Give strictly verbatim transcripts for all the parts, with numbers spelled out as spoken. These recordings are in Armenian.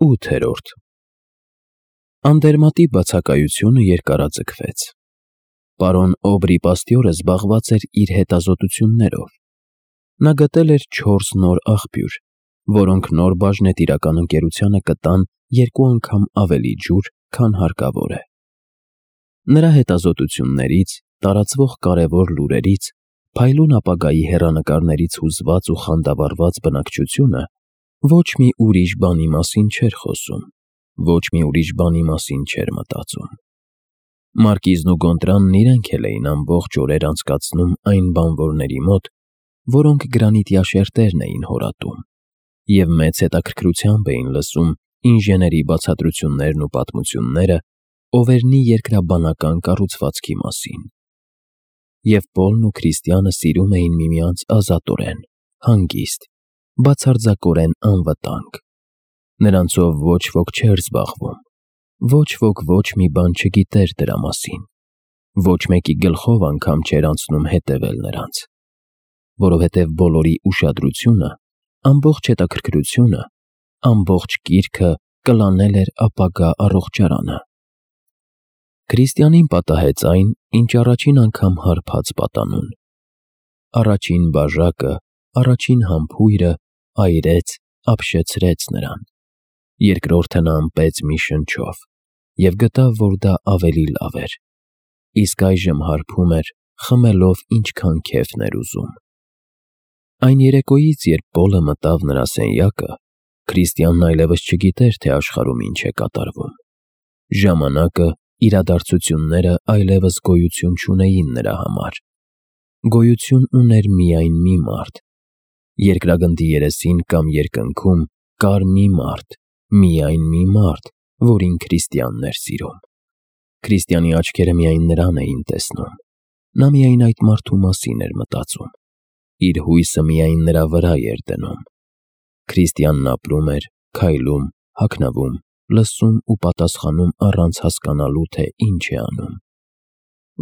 Ութերորդ Անդերմատի բացակայությունը երկարաձգվեց։ Պարոն Օբրի պաստյորը զբաղված էր իր հետազոտություններով։ Նա գտել էր չորս նոր աղբյուր, որոնք նոր բաժնետիրական ընկերությանը կտան երկու անգամ ավելի ջուր, քան հարկավոր է։ Նրա հետազոտություններից, տարածվող կարևոր լուրերից, փայլուն ապագայի հեռանկարներից հուզված ու խանդավառված բնակչությունը ոչ մի ուրիշ բանի մասին չէր խոսում, ոչ մի ուրիշ բանի մասին չէր մտածում։ Մարկիզն ու Գոնտրանն իրենք էլ էին ամբողջ օրեր անցկացնում այն բանվորների մոտ, որոնք գրանիտյա շերտերն էին հորատում, և մեծ հետաքրքրությամբ էին լսում ինժեների բացատրություններն ու պատմությունները Օվերնի երկրաբանական կառուցվածքի մասին։ Եվ Պոլն ու Քրիստիանը սիրում էին միմյանց ազատորեն, հանգիստ, բացարձակորեն անվտանգ։ Նրանցով ոչ ոք չէր զբաղվում, ոչ ոք ոչ մի բան չգիտեր դրա մասին, ոչ մեկի գլխով անգամ չէր անցնում հետևել նրանց, որովհետև բոլորի ուշադրությունը, ամբողջ հետաքրքրությունը, ամբողջ կիրքը կլանել էր ապագա առողջարանը։ Քրիստիանին պատահեց այն, ինչ առաջին անգամ հարբած պատանուն։ Առաջին բաժակը, առաջին համբույրը այրեց, ապշեցրեց նրան։ Երկրորդը նա ըմպեց մի շնչով և գտավ, որ դա ավելի լավ էր, իսկ այժմ հարբում էր, խմելով ինչքան քեֆն էր ուզում։ Այն երեկոյից, երբ Պոլը մտավ նրա սենյակը, Քրիստիանն այլևս չգիտեր, թե աշխարհում ինչ է կատարվում։ Ժամանակը, իրադարձությունները այլևս գոյություն չունեին նրա համար։ Գոյություն ուներ միայն մի մարդ։ Երկրագնդի երեսին կամ երկնքում կար մի մարդ, միայն մի մարդ, որին Քրիստիանն էր սիրում։ Քրիստիանի աչքերը միայն նրան էին տեսնում։ Նա միայն այդ մարդու մասին էր մտածում։ Իր հույսը միայն նրա վրա էր դնում։ Քրիստիանն ապրում էր, քայլում, հագնվում, լսում ու պատասխանում առանց հասկանալու, թե ինչ է անում։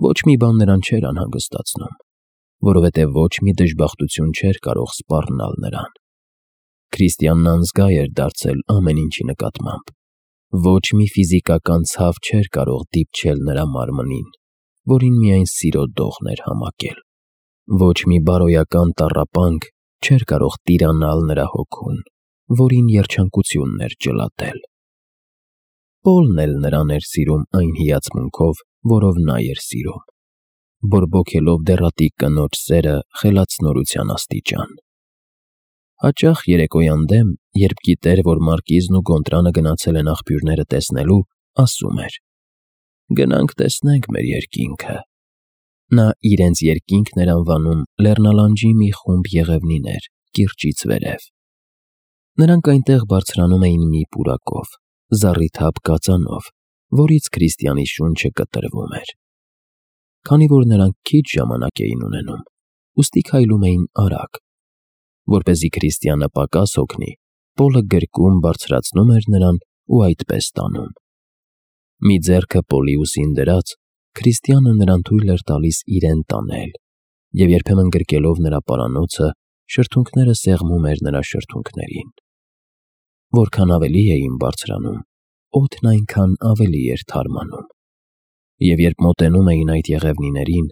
Ոչ մի բան նրան չէր անհանգստացնում, որովհետև ոչ մի դժբախտություն չէր կարող սպառնալ նրան։ Քրիստիանն անզգա էր դարձել ամեն ինչի նկատմամբ։ Ոչ մի ֆիզիկական ցավ չէր կարող դիպչել նրա մարմնին, որին միայն սիրո դողն էր համակել։ Ոչ մի բարոյական տառապանք չէր կարող տիրանալ նրա հոգուն, որին երջանկությունն էր ջլատել։ Պոլն էլ նրան էր սիրում այն հիացմունքով, որով նա էր սիրում, բորբոքելով դեռատիկ կնոջ սերը խելացնորության աստիճան։ Հաճախ երեկոյան դեմ, երբ գիտեր, որ Մարկիզն ու Գոնտրանը գնացել են աղբյուրները տեսնելու, ասում էր. «Գնանք տեսնենք մեր երկինքը»։ Նա իրենց երկինքն էր անվանում լեռնալանջի մի խումբ եղևնիներ, կիրճից վերև։ Նրանք այնտեղ բարձրանում էին մի պուրակով, զառիթափ կածանով, որից Քրիստիանի շունչը կտրվում էր։ Քանի որ նրանք քիչ ժամանակ էին ունենում, ուստի քայլում էին արագ։ Որպեսզի Քրիստիանը պակաս հոգնի, Պոլը գրկում բարձրացնում էր նրան ու այդպես տանում։ Մի ձեռքը Պոլի ուսին դրած, Քրիստիանը նրան թույլ էր տալիս իրեն տանել, և երբեմն գրկելով նրա պարանոցը, շրթունքները սեղմում էր նրա շրթունքներին։ Որքան ավելի էին բարձրանում, օդն այնքան ավելի էր թարմանում։ Եվ երբ մոտենում էին այդ եղևնիներին,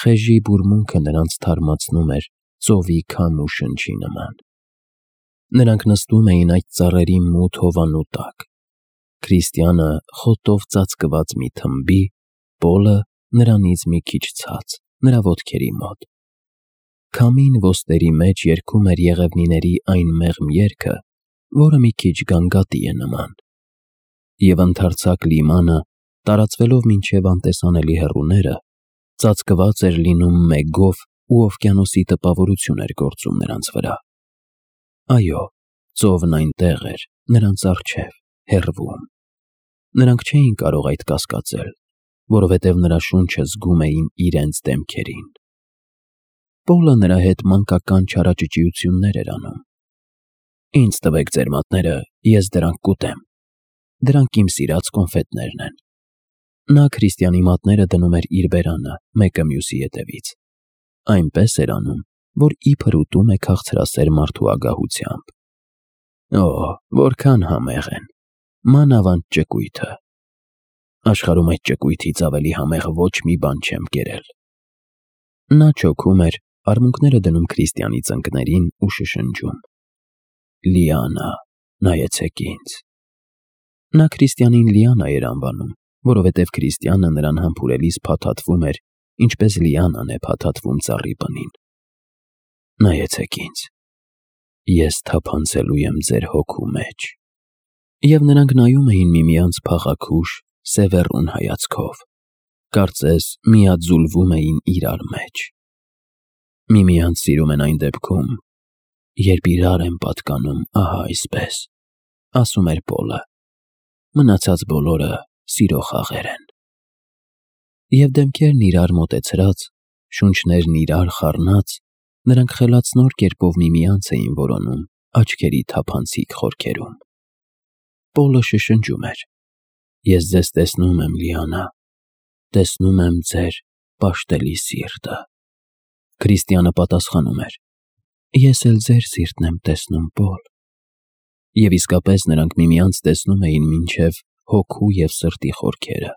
խեժի բուրմունքը նրանց թարմացնում էր ծովի քամու շնչի նման։ Նրանք նստում էին այդ ծառերի մութ հովանու տակ։ Քրիստիանը խոտով ծածկված մի թմբի, Պոլը նրանից մի քիչ ցած, նրա ոտքերի մոտ։ Քամին ոստերի մեջ երգում էր եղևնիների այն մեղմ երգը, որը մի քիչ գանգատի է նման։ Եվ ընդարձակ լիմանը, տարածվելով մինչև անտեսանելի հեռուները, ծածկված էր լինում մեգով ու օվկիանոսի տպավորություն էր գործում նրանց վրա։ Այո, ծովն այնտեղ էր, նրանց առջև, հեռվում։ Նրանք չէին կարող այդ կասկածել, որովհետև նրա շունչը զգում էին իրենց դեմքերին։ Պոլը նրա հետ մանկական չարաճճիություններ էր անում։ «Ինձ տվեք ձեր մատները, ես դրանք կուտեմ։ Դրանք իմ սիրած կոնֆետներն են»։ Նա Քրիստիանի մատները դնում էր իր բերանը, մեկը մյուսի ետևից։ Այնպես էր անում, որ իբր ուտում է քաղցրասեր մարդու ագահությամբ։ «Օ, որքան համեղ են, մանավանդ ճկույթը։ Աշխարհում այդ ճկույթից ավելի համեղ ոչ մի բան չեմ կերել։ Նա չոքում էր, արմունկները դնում Քրիստիանի ծնկներին ու շշնջում. Լիանա, նայեցեք ինձ։ Նա Քրիստիանին Լիանա էր անվանում, որովհետև Քրիստիանը նրան համբուրելիս փաթաթվում էր, ինչպես Լիանան է փաթաթվում ծառի պնին։ Նայեցեք ինձ։ Ես թափանցելու եմ ձեր հոգու մեջ։ Եվ նրանք նայում էին միմյանց փաղաքուշ, սևեռուն հայացքով, կարծես միաձուլվում էին իրար մեջ։ Միմյանց սիրում են այն դեպքում, երբ իրար են պատկանում, ահա այսպես, ասում էր Պոլը, մնացած բոլորը սիրո խաղեր են։ Եվ դեմքերն իրար մոտեցրած, շունչներն իրար խառնած, նրանք խելացնոր կերպով միմյանց էին որոնում աչքերի թափանցիկ խորքերում։ Պոլը շշնջում էր. Ես ձեզ տեսնում եմ, Լիանա, տեսնում եմ ձեր պաշտելի սիրտը։ Քրիստիանը պատասխանում էր. Ես էլ ձեր սիրտն եմ տեսնում, Պոլ։ Եվ իսկապես նրանք միմյանց տեսնում էին մինչև հոգու և սրտի խորքերը,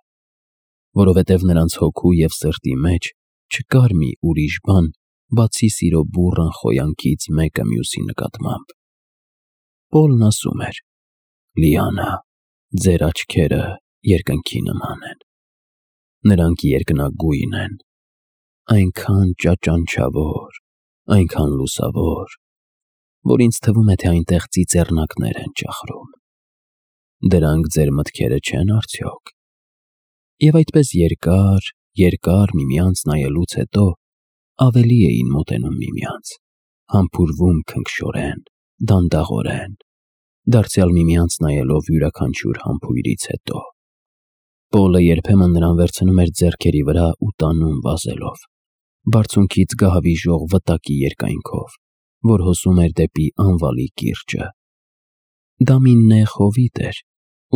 որովհետև նրանց հոգու և սրտի մեջ չկար մի ուրիշ բան, բացի սիրո բուռն խոյանքից մեկը մյուսի նկատմամբ։ Պոլն ասում էր. Լիանա, ձեր աչքերը երկնքի նման են։ Նրանք երկնագույն են, այնքան ճաճանչավոր, այնքան լուսավոր, որ ինձ թվում է, թե այնտեղ ծիծեռնակներ են ճախրում։ Դրանք ձեր մտքերը չեն արդյոք։ Եվ այդպես երկար, երկար միմյանց նայելուց հետո ավելի էին մոտենում միմյանց, համբուրվում քնքշորեն, դանդաղորեն, դարձյալ միմյանց նայելով յուրաքանչյուր համբույրից հետո։ Պոլը երբեմն նրան վերցնում էր ձեռքերի վրա ու տանում վազելով, բարձունքից գահավիժող վտակի երկայնքով, որ հոսում էր դեպի անվալի կիրճը։ Դա մի նեղ հովիտ էր,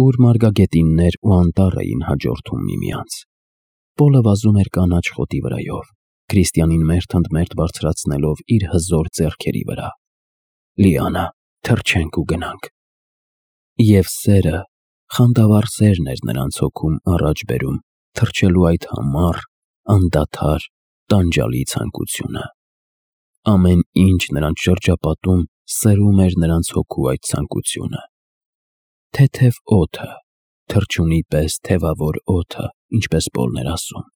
ուր մարգագետիններ ու անտառ էին հաջորդում միմյանց։ Պոլը վազում էր կանաչ խոտի վրայով, Քրիստիանին մերթընդմերթ բարձրացնելով իր հզոր ձեռքերի վրա։ Լիանա, թռչենք ու գնանք։ Եվ սերը, խանդավառ սերն էր նրանց հոգում առաջ բերում թռչելու այդ համառ, անդադար, տանջալի ցանկությունը։ Ամեն ինչ նրանց շրջապատում սրում էր նրանց հոգու այդ ցանկությունը։ Թեթև օդը, թռչունի պես թևավոր օդը, ինչպես Պոլն էր ասում,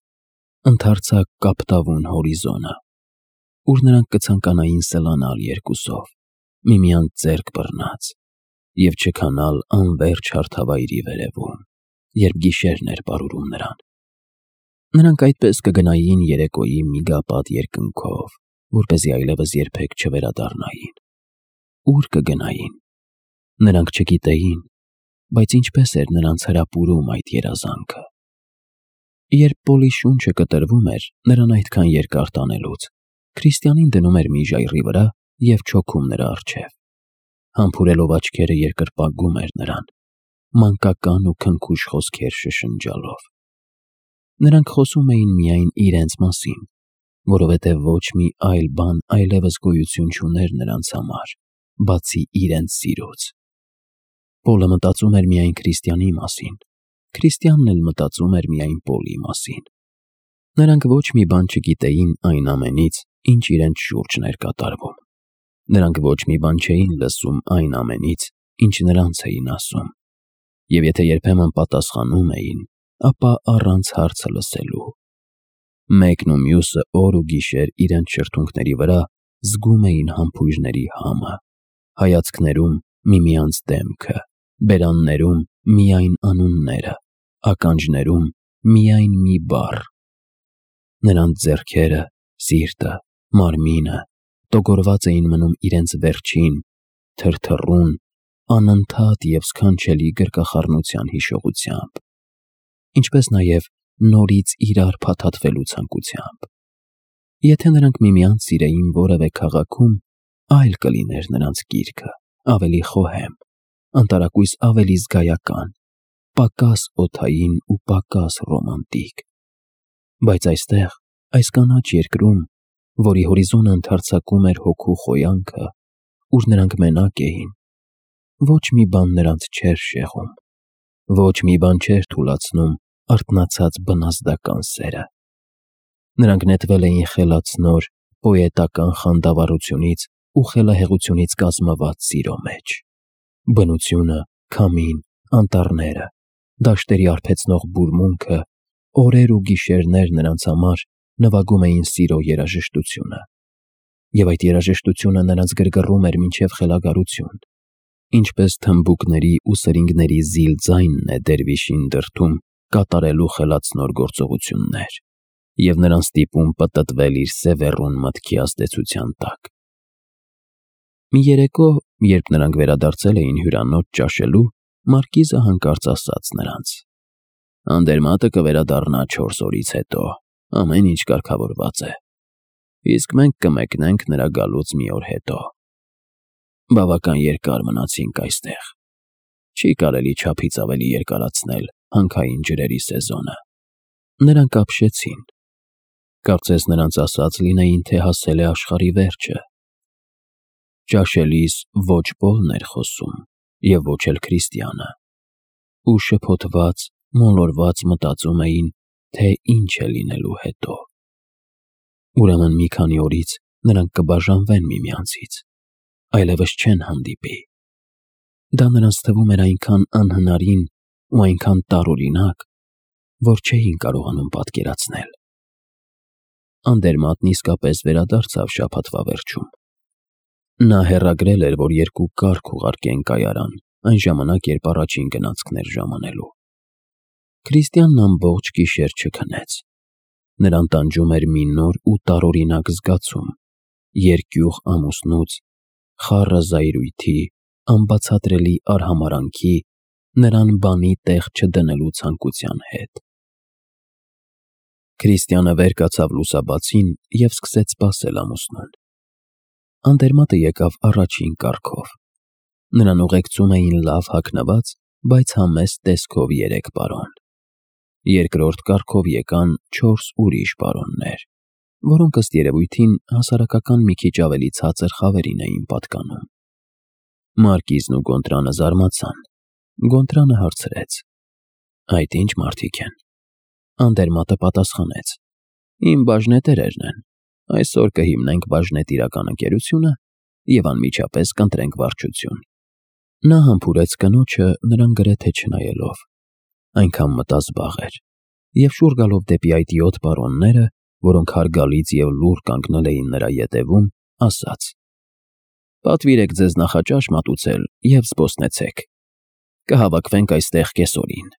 ընդարձակ կապտավուն հորիզոնը, ուր նրանք կցանկանային սլանալ երկուսով, միմյանց ձեռք բռնած, և չքանալ անվերջ հարթավայրի վերևում, երբ գիշերն էր պարուրում նրան։ Նրանք այդպես կգնային երեկոյի միգապատ երկնքով, որպեսզի այլևս երբեք չվերադառնային։ Ուր կգնային։ Նրանք չգիտեին, բայց ինչպես էր նրանց հրապուրում այդ երազանքը։ Երբ Պոլի շունչը կտրվում էր նրան այդքան երկար տանելուց, Քրիստիանին դնում էր մի ժայռի վրա և չոքում նրա առջև։ Համբուրելով աչքերը երկրպագում էր նրան, մանկական ու քնքուշ խոսքեր շշնջալով։ Նրանք խոսում էին միայն իրենց մասին, որովհետև ոչ մի այլ բան այլևս գոյություն չուներ նրանց համար, բացի իրենց սիրուց։ Պոլը մտածում էր միայն Քրիստիանի մասին, Քրիստիանն էլ մտածում էր միայն Պոլի մասին։ Նրանք ոչ մի բան չգիտեին այն ամենից, ինչ իրենց շուրջն էր կատարվում։ Նրանք ոչ մի բան չէին լսում այն ամենից, ինչ նրանց էին ասում։ Եվ եթե երբեմն պատասխանում էին, ապա առանց հարցը լսելու։ Մեկն ու մյուսը օր ու գիշեր իրենց շրթունքների վրա զգում էին համբույրների համը, հայացքներում միմյանց դեմքը, բերաններում միայն անունները, ականջներում միայն մի բառ։ Նրանց ձեռքերը, սիրտը, մարմինը տոգորված էին մնում իրենց վերջին, թրթռուն, անընդհատ և սքանչելի գրկախառնության հիշողությամբ, ինչպես նաև նորից իրար փաթաթվելու ցանկությամբ։ Եթե նրանք միմյանց սիրեին որևէ քաղաքում, այլ կլիներ նրանց գիրքը, ավելի խոհեմ, անտարակույս ավելի զգայական, պակաս օդային ու պակաս ռոմանտիկ։ Բայց այստեղ, այս կանաչ երկրում, որի հորիզոնը ընդարձակում էր հոգու խոյանքը, ուր նրանք մենակ էին, ոչ մի բան նրանց չէր շեղում, Ոչ մի բան չէր թուլացնում արթնացած բնազդական սերը։ Նրանք նետվել էին խելացնոր, պոետական խանդավառությունից ու խելահեղությունից կազմված սիրո մեջ։ Բնությունը, քամին, անտառները, դաշտերի արբեցնող բուրմունքը, օրեր ու գիշերներ նրանց համար նվագում էին սիրո երաժշտությունը։ Եվ այդ երաժշտությունը նրանց գրգռում էր մինչև խելագարություն, ինչպես թմբուկների ու սրինգների զիլ ձայնն է դերվիշին դրդում կատարելու խելացնոր գործողություններ և նրան ստիպում պտտվել իր սևեռուն մտքի ազդեցության տակ։ Մի երեկո, երբ նրանք վերադարձել էին հյուրանոց ճաշելու, մարկիզը հանկարծ ասաց նրանց. «Անդերմատը կվերադառնա չորս օրից հետո, ամեն ինչ կարգավորված է, իսկ մենք կմեկնենք նրա գալուց մի օր հետո։ Բավական երկար մնացինք այստեղ, չի կարելի չափից ավելի երկարացնել հանքային ջրերի սեզոնը»։ Նրանք ապշեցին։ Կարծես նրանց ասած լինեին, թե հասել է աշխարհի վերջը։ Ճաշելիս ոչ Պոլն էր խոսում և ոչ էլ Քրիստիանը, ու շփոթված, մոլորված մտածում էին, թե ինչ է լինելու հետո։ Ուրեմն մի քանի օրից նրանք կբաժանվեն միմյանցից, այլևս չեն հանդիպի։ Դա նրանց թվում էր այնքան անհնարին ու այնքան տարօրինակ, որ չէին կարողանում պատկերացնել։ Անդերմատն իսկապես վերադարձավ շաբաթվա վերջում։ Նա հեռագրել էր, որ երկու կառք ուղարկեն կայարան, այն ժամանակ, երբ առաջին գնացքն էր ժամանելու։ Քրիստիանն ամբողջ գիշեր չքնեց։ Նրան տանջում էր մի նոր ու տարօրինակ զգացում՝ երկյուղ ամուսնուց, խառը զայրույթի, անբացատրելի արհամարհանքի, նրան բանի տեղ չդնելու ցանկության հետ։ Քրիստիանը վեր կացավ լուսաբացին և սկսեց սպասել ամուսնուն։ Անդերմատը եկավ առաջին կառքով։ Նրան ուղեկցում էին լավ հագնված, բայց համեստ տեսքով երեք պարոն։ Երկրորդ կառքով եկան չորս ուրիշ պարոններ, որոնք ըստ երևույթին հասարակական մի քիչ ավելի ցածր խավերին էին պատկանում։ Մարկիզն ու Գոնտրանը զարմացան։ Գոնտրանը հարցրեց. «Այդ ի՞նչ մարդիկ են»։ Անդերմատը պատասխանեց. «Իմ բաժնետերերն են։ Այսօր կհիմնենք բաժնետիրական ընկերությունը և անմիջապես կընտրենք վարչություն»։ Նա համբուրեց կնոջը, նրան գրեթե չնայելով։ Այնքան մտազբաղ էր, և շուռ գալով դեպի այդ յոթ պարոնները, որոնք հարգալից և լուռ կանգնել էին նրա ետևում, ասաց. «Պատվիրեք ձեզ նախաճաշ մատուցել և զբոսնեցեք։ Կհավաքվենք այստեղ կեսօրին»։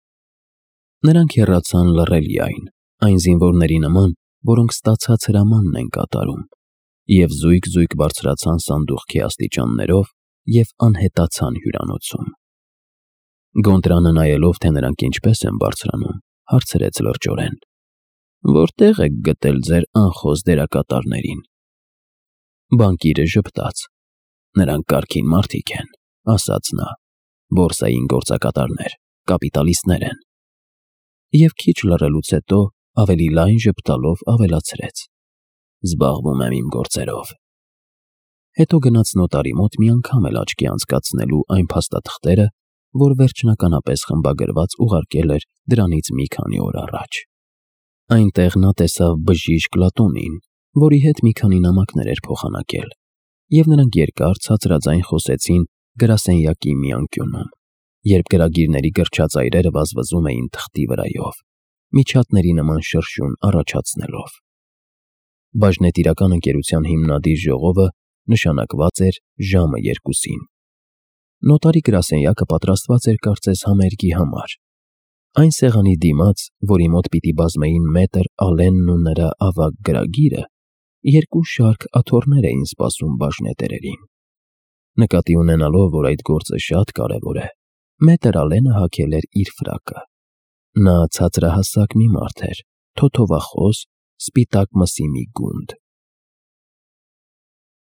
Նրանք հեռացան լռելիայն, այն զինվորների նման, որոնք ստացած հրամանն են կատարում, և զույգ-զույգ բարձրացան սանդուղքի աստիճաններով և անհետացան հյուրանոցում։ Գոնտրանը նայելով, թե նրանք ինչպես են բարձրանում, հարցրեց լրջորեն. «Որտե՞ղ եք գտել ձեր անխոս դերակատարներին»։ Բանկիրը ժպտաց. «Նրանք կարգին մարդիկ են», ասաց նա, «բորսային գործակատարներ, կապիտալիստներ են»։ Եվ քիչ լռելուց հետո ավելի լայն ժպտալով ավելացրեց. «Զբաղվում եմ իմ գործերով»։ Հետո գնաց նոտարի մոտ մի անգամ էլ աչքի անցկացնելու այն փաստաթղթերը, որ վերջնականապես խմբագրված ուղարկել էր դրանից մի քանի օր առաջ։ Այնտեղ նա տեսավ բժիշկ Լատոնին, որի հետ մի քանի նամակներ էր փոխանակել, և նրանք երկար ցածրաձայն խոսեցին գրասենյակի մի անկյունում, երբ գրագիրների գրչած այրերը վազվզում էին թղթի վրայով, միջատների նման շրշյուն առաջացնելով։ Բաժնետիրական ընկերության հիմնադիր ժողովը նշանակված էր ժամը երկուսին։ Նոտարի գրասենյակը պատրաստված էր կարծես համերգի համար։ Այն սեղանի դիմաց, որի մոտ պիտի բազմեին մետր Ալենն ու նրա ավագ գրագիրը, երկու շարք աթոռներ էին սպասում բաժնետերերին։ Նկատի ունենալով, որ այդ գործը շատ կարևոր է, մետր Ալենը հագել էր իր ֆրակը։ Նա ցածրահասակ մի մարդ էր, թոթովախոս, սպիտակ մսի մի գունդ,